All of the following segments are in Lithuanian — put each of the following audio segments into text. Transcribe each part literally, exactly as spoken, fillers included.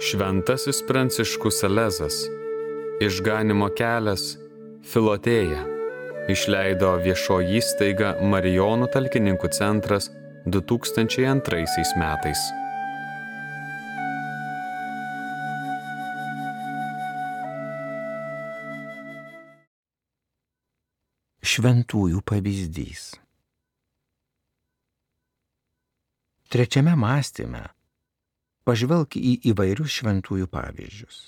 Šventasis Pranciškus Salezas, Išganymo kelias, Filotėja, išleido viešoji įstaiga Marijonų talkininkų centras du tūkstančiai antraisiais metais. Šventųjų pavyzdys. Trečiame mąstyme pažvelk į įvairius šventųjų pavyzdžius.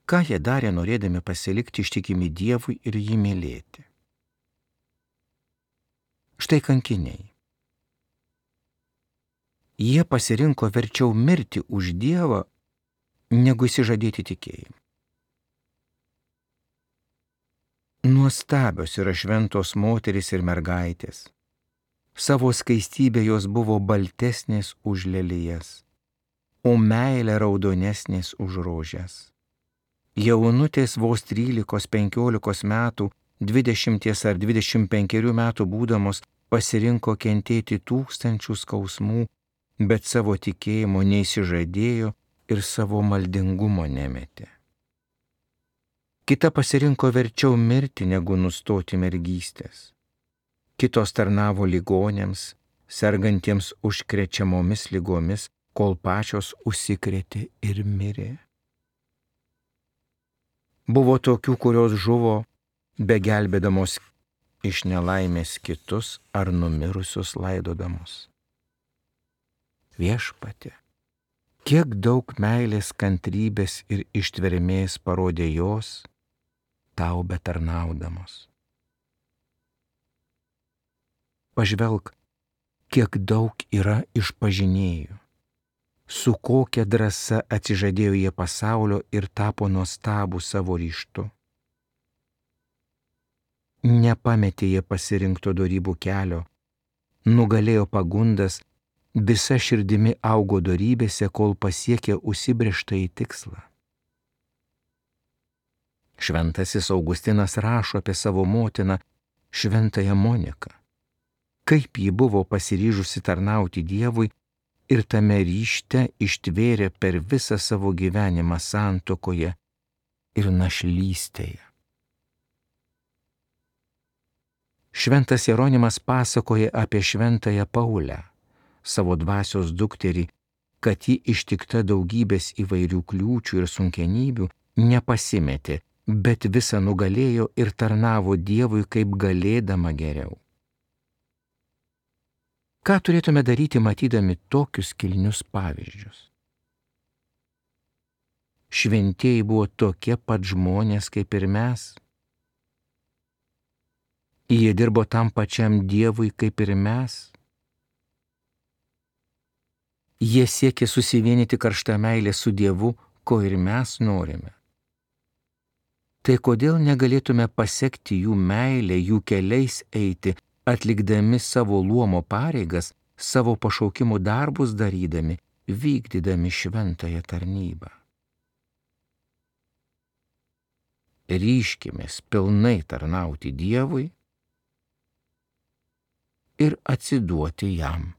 Ką jie darė norėdami pasilikti ištikimi Dievui ir jį mylėti? Štai kankiniai. Jie pasirinko verčiau mirti už Dievą, negu išsižadėti tikėjimą. Nuostabios yra šventos moterys ir mergaitės. Savo skaistybė jos buvo baltesnės už lelijas, o meilė raudonesnės už rožes. Jaunutės vos trylikos penkiolikos metų, dvidešimties ar dvidešimt penkerių metų būdamos pasirinko kentėti tūkstančių skausmų, bet savo tikėjimo neįsižadėjo ir savo maldingumo nemetė. Kita pasirinko verčiau mirti, negu nustoti mergystės. Kitos tarnavo ligonėms, sergantiems užkrečiamomis ligomis, kol pačios užsikrėtė ir mirė. Buvo tokių, kurios žuvo, begelbėdamos iš nelaimės kitus ar numirusius laidodamos. Viešpatie, kiek daug meilės, kantrybės ir ištvermės parodė jos, tau betarnaudamos. Pažvelk, kiek daug yra išpažinėjų, su kokia drąsa atsižadėjo jie pasaulio ir tapo nuostabų savo ryžtu. Nepametė jie pasirinkto dorybų kelio, nugalėjo pagundas, visa širdimi augo dorybėse, kol pasiekė užsibrėžtąjį tikslą. Šventasis Augustinas rašo apie savo motiną, šventąją Moniką. Kaip ji buvo pasiryžusi tarnauti Dievui ir tame ryžte ištvėrė per visą savo gyvenimą santuokoje ir našlystėje. Šventas Jeronimas pasakoja apie šventąją Paulę, savo dvasios dukterį, kad ji ištikta daugybės įvairių kliūčių ir sunkenybių nepasimetė, bet visą nugalėjo ir tarnavo Dievui kaip galėdama geriau. Ką turėtume daryti, matydami tokius kilnius pavyzdžius? Šventieji buvo tokie pat žmonės kaip ir mes. Jie dirbo tam pačiam Dievui kaip ir mes. Jie siekė susivienyti karštą meilę su Dievu, ko ir mes norime. Tai kodėl negalėtume pasekti jų meilę, jų keliais eiti, atlikdami savo luomo pareigas, savo pašaukimų darbus darydami, vykdydami šventąją tarnybą? Ryžkimės pilnai tarnauti Dievui ir atsiduoti jam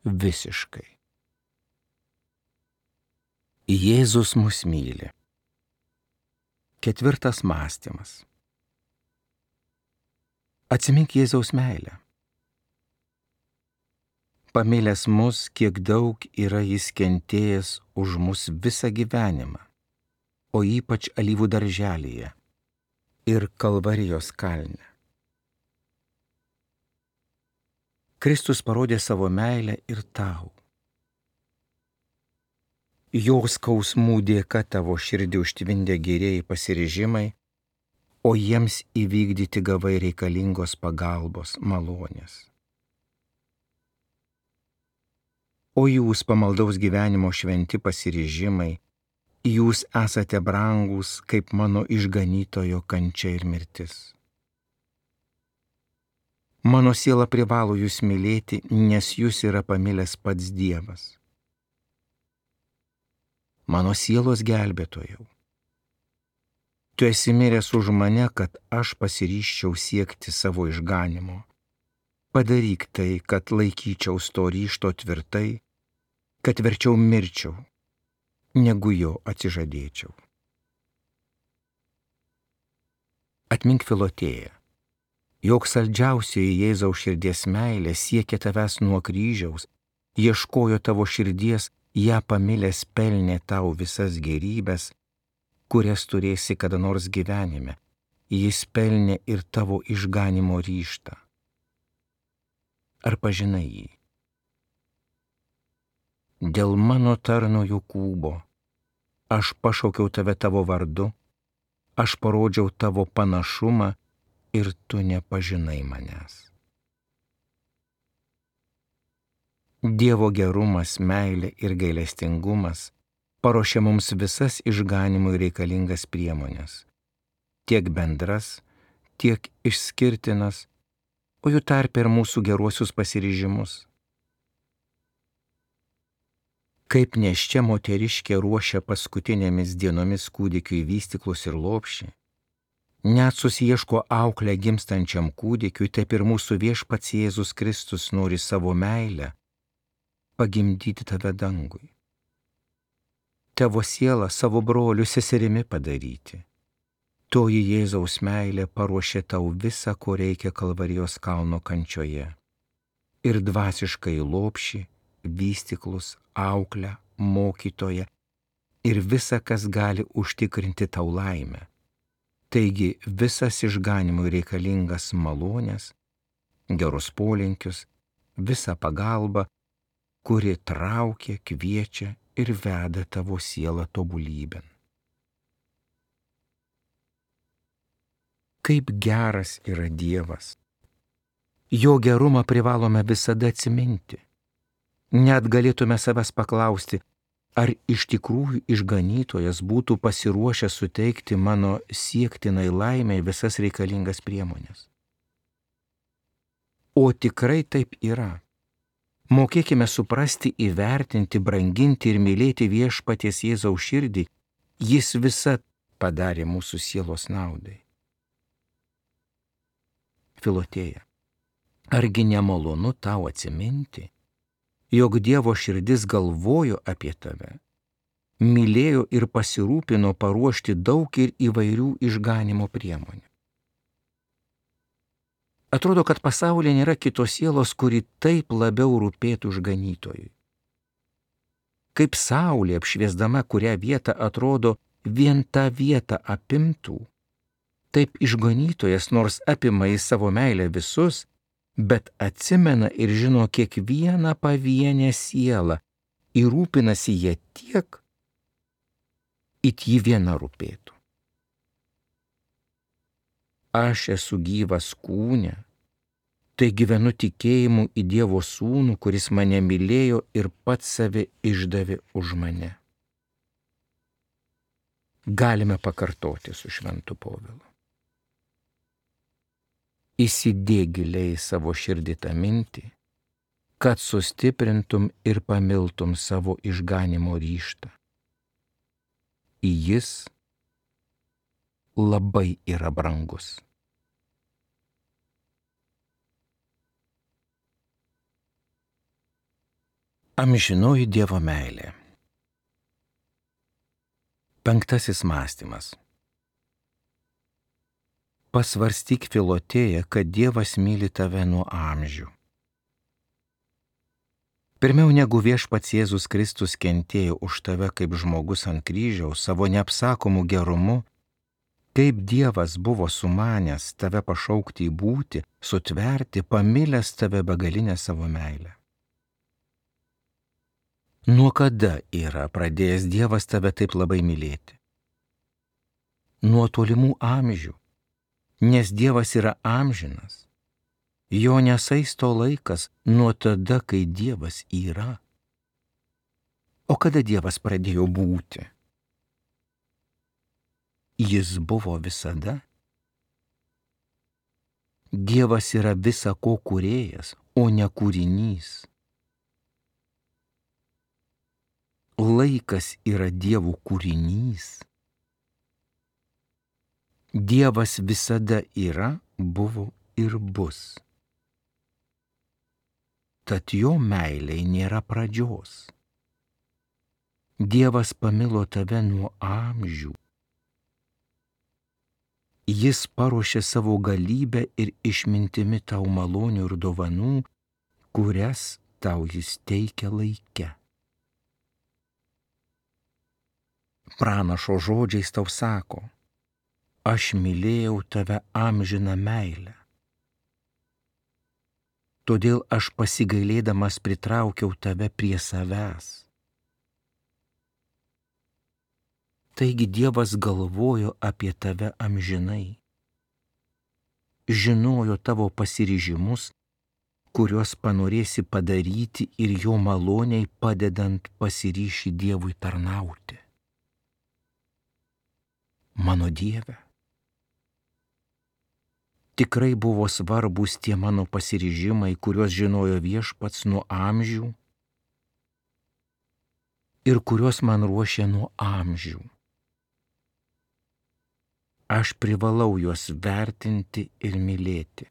visiškai. Jėzus mus myli. Ketvirtas mąstymas. Atsimink Jėzaus meilę. Pamilęs mus, kiek daug yra jis kentėjęs už mus visą gyvenimą, o ypač alyvų darželyje ir Kalvarijos kalne. Kristus parodė savo meilę ir tau. Jo skausmų dėka tavo širdį užtvindė gerieji pasiryžimai, o jiems įvykdyti gavai reikalingos pagalbos, malonės. O jūs, pamaldaus gyvenimo šventi pasiryžimai, jūs esate brangūs kaip mano išganytojo kančia ir mirtis. Mano siela privalo jūs mylėti, nes jūs yra pamilęs pats Dievas. Mano sielos gelbėtojau, tu esi miręs už mane, kad aš pasiryžčiau siekti savo išganymo. Padaryk tai, kad laikyčiaus to ryžto tvirtai, kad verčiau mirčiau, negu jo atsižadėčiau. Atmink Filotėją, jog saldžiausioji Jėzaus širdies meilė siekia tavęs nuo kryžiaus, ieškojo tavo širdies, ją pamilęs pelnė tau visas gerybės, kurias turėsi kada nors gyvenime. Jis pelnė ir tavo išganimo ryžtą. Ar pažinai jį? Dėl mano tarno Jokūbo aš pašaukiau tave tavo vardu, aš parodžiau tavo panašumą ir tu nepažinai manęs. Dievo gerumas, meilė ir gailestingumas paruošia mums visas išganimui reikalingas priemonės, tiek bendras, tiek išskirtinas, o jų tarpe ir mūsų geruosius pasiryžimus. Kaip nėščia moteriškė ruošia paskutinėmis dienomis kūdikiui vystyklus ir lopšį, net susiieško auklę gimstančiam kūdikiui, taip ir mūsų viešpats Jėzus Kristus nori savo meilę pagimdyti tave dangui. Tavo sielą savo broliu seserimi padaryti. Toji Jėzaus meilė paruošė tau visą, ko reikia Kalvarijos kalno kančioje. Ir dvasiškai lopšį, vystyklus, auklę, mokytoją ir visa, kas gali užtikrinti tau laimę. Taigi visas išganimui reikalingas malonės, gerus polinkius, visą pagalbą, kuri traukia, kviečia ir veda tavo sielą tobulybėn. Kaip geras yra Dievas. Jo gerumą privalome visada atsiminti. Net galėtume savęs paklausti, ar iš tikrųjų išganytojas būtų pasiruošęs suteikti mano siektinai laimei visas reikalingas priemonės. O tikrai taip yra. Mokėkime suprasti, įvertinti, branginti ir mylėti viešpaties Jėzaus širdį, jis visad padarė mūsų sielos naudai. Filotėja, argi nemalonu tau atsiminti, jog Dievo širdis galvojo apie tave, mylėjo ir pasirūpino paruošti daug ir įvairių išganimo priemonių. Atrodo, kad pasaulyje nėra kitos sielos, kuri taip labiau rūpėtų išganytojui. Kaip saulė apšviesdama kurią vietą atrodo vien tą vietą apimtų, taip išganytojas nors apima į savo meilę visus, bet atsimena ir žino kiekvieną pavienę sielą ir rūpinasi ją tiek, it ji viena rūpėtų. Aš esu gyvas kūne, tai gyvenu tikėjimu į Dievo Sūnų, kuris mane mylėjo ir pats save išdavė už mane. Galime pakartoti su šventu Povilu. Įsidėk giliai savo širdį tą mintį, kad sustiprintum ir pamiltum savo išganimo ryžtą. Jis labai yra brangus. Amžinoji Dievo meilė. Penktasis mąstymas. Pasvarstyk, Filotėja, kad Dievas myli tave nuo amžių. Pirmiau negu viešpats Jėzus Kristus kentėjo už tave kaip žmogus ant kryžiaus savo neapsakomų gerumu, kaip Dievas buvo sumanęs tave pašaukti į būti, sutverti, pamilęs tave begalinę savo meilę. Nuo kada yra pradėjęs Dievas tave taip labai mylėti? Nuo tolimų amžių, nes Dievas yra amžinas. Jo nesaisto laikas nuo tada, kai Dievas yra. O kada Dievas pradėjo būti? Jis buvo visada. Dievas yra visa ko kūrėjas, o ne kūrinys. Laikas yra Dievo kūrinys. Dievas visada yra, buvo ir bus. Tad jo meilei nėra pradžios. Dievas pamilo tave nuo amžių. Jis paruošė savo galybę ir išmintimi tau malonių ir dovanų, kurias tau jis teikia laike. Pranašo žodžiais tau sako, aš mylėjau tave amžiną meilę. Todėl aš pasigailėdamas pritraukiau tave prie savęs. Taigi Dievas galvojo apie tave amžinai, žinojo tavo pasiryžimus, kuriuos panorėsi padaryti ir jo maloniai padedant pasiryši Dievui tarnauti. Mano Dieve, tikrai buvo svarbus tie mano pasiryžimai, kuriuos žinojo Viešpats nuo amžių ir kuriuos man ruošė nuo amžių. Aš privalau juos vertinti ir mylėti.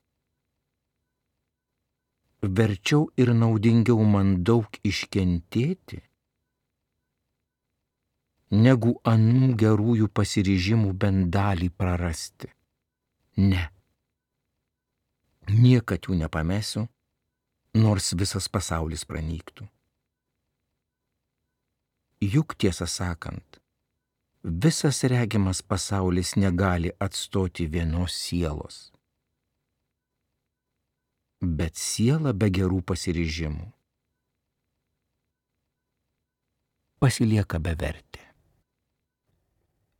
Verčiau ir naudingiau man daug iškentėti, negu anų gerųjų pasiryžimų bent dalį prarasti. Ne. Niekad jų nepamesiu, nors visas pasaulis pranyktų. Juk tiesą sakant, visas regimas pasaulis negali atstoti vienos sielos. Bet siela be gerų pasiryžimų pasilieka bevertė.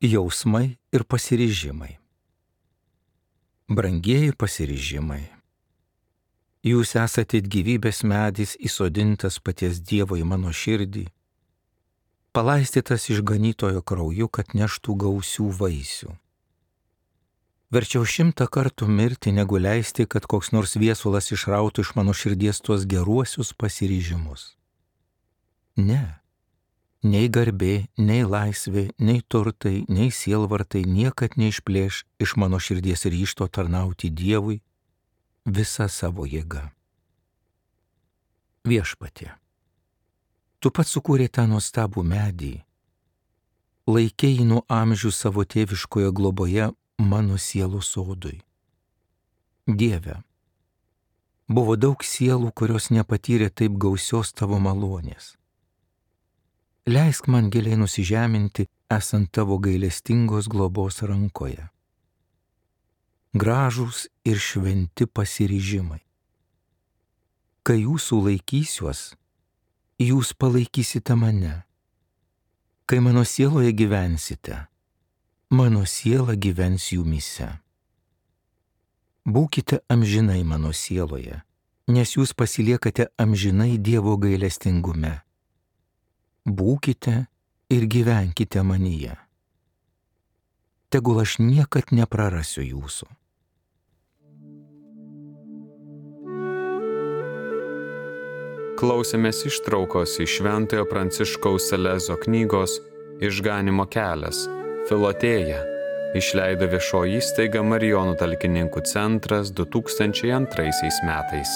Jausmai ir pasiryžimai. Brangieji pasiryžimai. Jūs esate gyvybės medis įsodintas paties Dievo į mano širdį, palaistytas išganytojo krauju, kad neštų gausių vaisių. Verčiau šimtą kartų mirti, negu leisti, kad koks nors viesulas išrautų iš mano širdies tuos geruosius pasiryžimus. Ne, nei garbė, nei laisvė, nei turtai, nei sielvartai niekad neišplėš iš mano širdies ryžto tarnauti Dievui visa savo jėga. Viešpatie, tu pats sukūrei tą nuostabų medį, laikei nuo amžių savo tėviškoje globoje mano sielos sodui. Dieve, buvo daug sielų, kurios nepatyrė taip gausios tavo malonės. Leisk man giliai nusižeminti, esant tavo gailestingos globos rankoje. Gražūs ir šventi pasiryžimai. Kai jūsų laikysiuos, jūs palaikysite mane. Kai mano sieloje gyvensite, mano siela gyvens jumyse. Būkite amžinai mano sieloje, nes jūs pasiliekate amžinai Dievo gailestingume. Būkite ir gyvenkite manyje. Tegul aš niekad neprarasiu jūsų. Klausėmės ištraukos iš Šventojo Pranciškaus Salezo knygos Išganymo kelias, Filotėja, išleido viešoji įstaiga Marijonų talkininkų centras du tūkstančiai antraisiais metais.